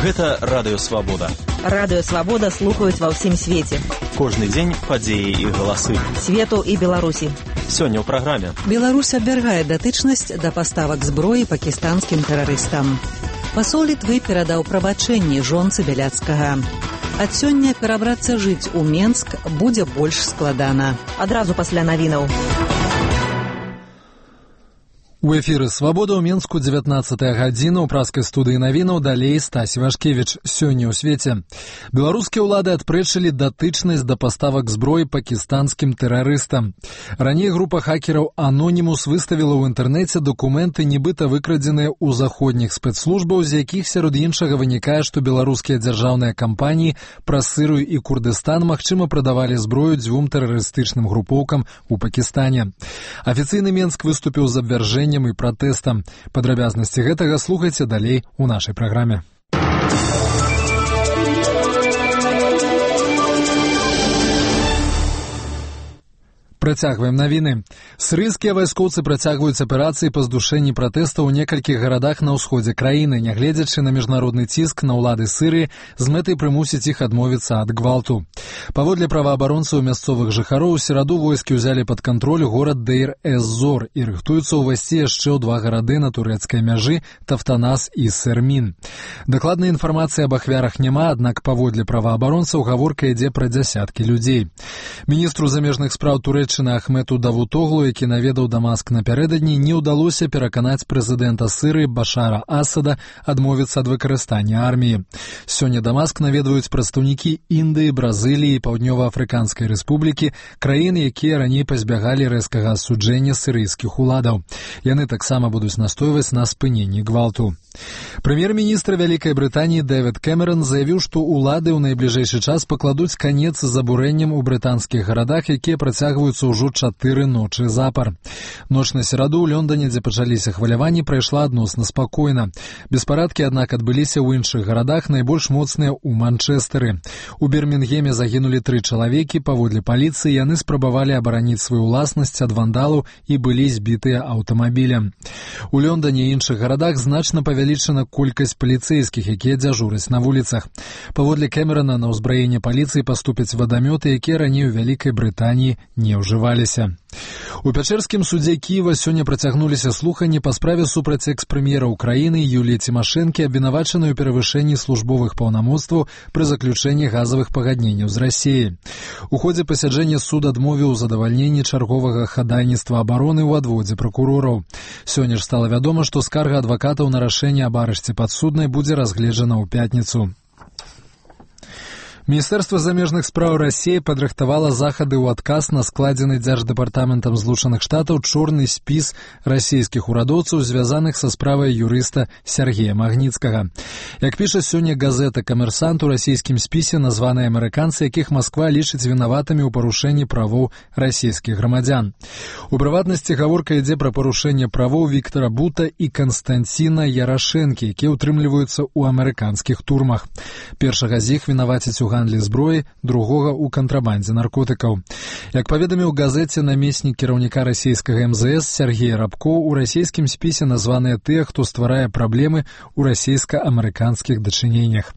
Гэта Радыё Свабода. Радыё Свабода слухаюць ва ўсім свеце. Кожны дзень падзеі і галасы. Свету і Беларусі. Сёння ў праграме. Беларусь абвяргае датычнасць да паставак зброі пакістанскім тэрарыстам. Пасол Літвы перадаў прабачэнні жонцы Бяляцкага. Ад сёння перабрацца жыць у Менск будзе больш складана. Адразу пасля навінаў. У эфіры «Свабода» ў Менску 19-я гадзіна ў праскай студыі навінаў, далей Стась Вашкевіч. Сёння ў свеце. Беларускія ўлады адпрэчылі датычнасць да паставак зброі пакістанскім тэрарыстам. Раней група хакераў «Анонімус» выставіла ў інтэрнэце дакументы, нібыта выкрадзеныя ў заходніх спецслужбаў, з якіх сярод іншага вынікае, што беларускія дзяржаўныя кампаніі праз Сырыю і Курдыстан магчыма прадавалі зброю дзвюм тэрарыстычным групоўкам у Пакістане. Афіцыйны Менск выступіў з абвяржэннем і пратэстам. Падрабязнасці гэтага слухайце далей у нашай праграме. Працягваем навіны. Сырыйскія вайскоўцы працягваюць аперацыі па здушэнні пратэстаў у некалькіх гарадах на ўсходзе краіны, нягледзячы на міжнародны ціск на ўлады Сырыі з мэтай прымусіць іх адмовіцца ад гвалту. Паводле праваабаронцаў мясцовых жыхароў, у сераду войскі ўзялі пад кантроль горад Дейр-эз-Зор і рыхтуюцца ўвайсці яшчэ ў два гарады на турэцкай мяжы Тафтанас і Сэрмін. Дакладнай інфармацыі аб ахвярах няма, аднак паводле праваабаронцаў гаворка ідзе пра дзясяткі людзей. Міністру замежных спраў Турэцкай Ахмету Давутоглу, які наведаў Дамаск напярэдадні, не ўдалося пераканаць прэзідэнта Сырыі Башара Асада адмовіцца ад выкарыстання арміі. Сёння Дамаск наведваюць прадстаўнікі Індыі, Бразыліі, Паўднёва-Афрыканскай рэспублікі, краін, якія раней пазбягалі рэзкага асуджэння сырыйскіх уладаў. Яны таксама будуць настойваць на спыненні гвалту. Прэм'ер-міністр Вялікай Брытаніі Дэвід Кэмерон заявіў, што ўлады ў найбліжэйшы час пакладуць канец забурэнням у брытанскіх гарадах, якія працягваюцца ўжо 4 ночы запар. Ноч на сераду ў Лондоне, дзе пачаліся хваляванні, прайшла адносна спакойна. Беспарадкі, аднак, адбыліся ў іншых гарадах, найбольш моцныя ў Манчэстэры. У Бірмінгеме загінулі 3 чалавекі. Паводле паліцыі, яны спрабавалі абараніць сваю ўласнасць ад вандалаў і былі збітыя аўтамабілем. У Лондоне і іншых гарадах значна павялічана колькасць паліцэйскіх, якія дзяжураць на вуліцах. Паводле Кэмерона, на ўзбраенне паліцыі паступяць вадамёты, якія раней у Вялікай Брытаніі не ўжываліся. У Пячэрскім судзе Кіева сёння працягнуліся слуханні па справе супраць экс-прэм'ера ўкраіны Юліі Цімашэнкі, абвінавачанай у перавышэнні службовых паўнамоцтваў пры заключэнні газавых пагадненняў з Расіяй. У ходзе пасяджэння суд адмовіў у задавальненні чарговага хадайніцтва абароны ў адводзе пракурораў. Сёння ж стала вядома, што скарга адвакатаў на рашэнне аб арышце падсуднай будзе разгледжана ў пятніцу. Міністэрства замежных спраў Расіі падрыхтавала захады ў адказ на складзены Дзярждэпартаментам Злучаных Штатаў чорны спіс расійскіх урадоўцаў, звязаных са справай юрыста Сергея Магніцкага. Як піша сёння газета «Камерсант», у расійскім спісе названы амерыканцы, якіх Масква лічыць вінаватымі ў парушэнні правоў расійскіх грамадзян. У прыватнасці гаворка ідзе пра парушэнне правоў Віктара Бута і Канстанціна Ярашэнкі, якія ўтрымліваюцца ў амерыканскіх турмах. Першага з іх вінавацяць у гандлі зброі, другога ў кантрабандзе наркотыкаў. Як паведаміў газеце намеснік кіраўніка расійскага МЗС Сергей Рабко, у расійскім спісе названыя тыя, хто стварае праблемы ў расійска-амерыканскіх дачыненнях.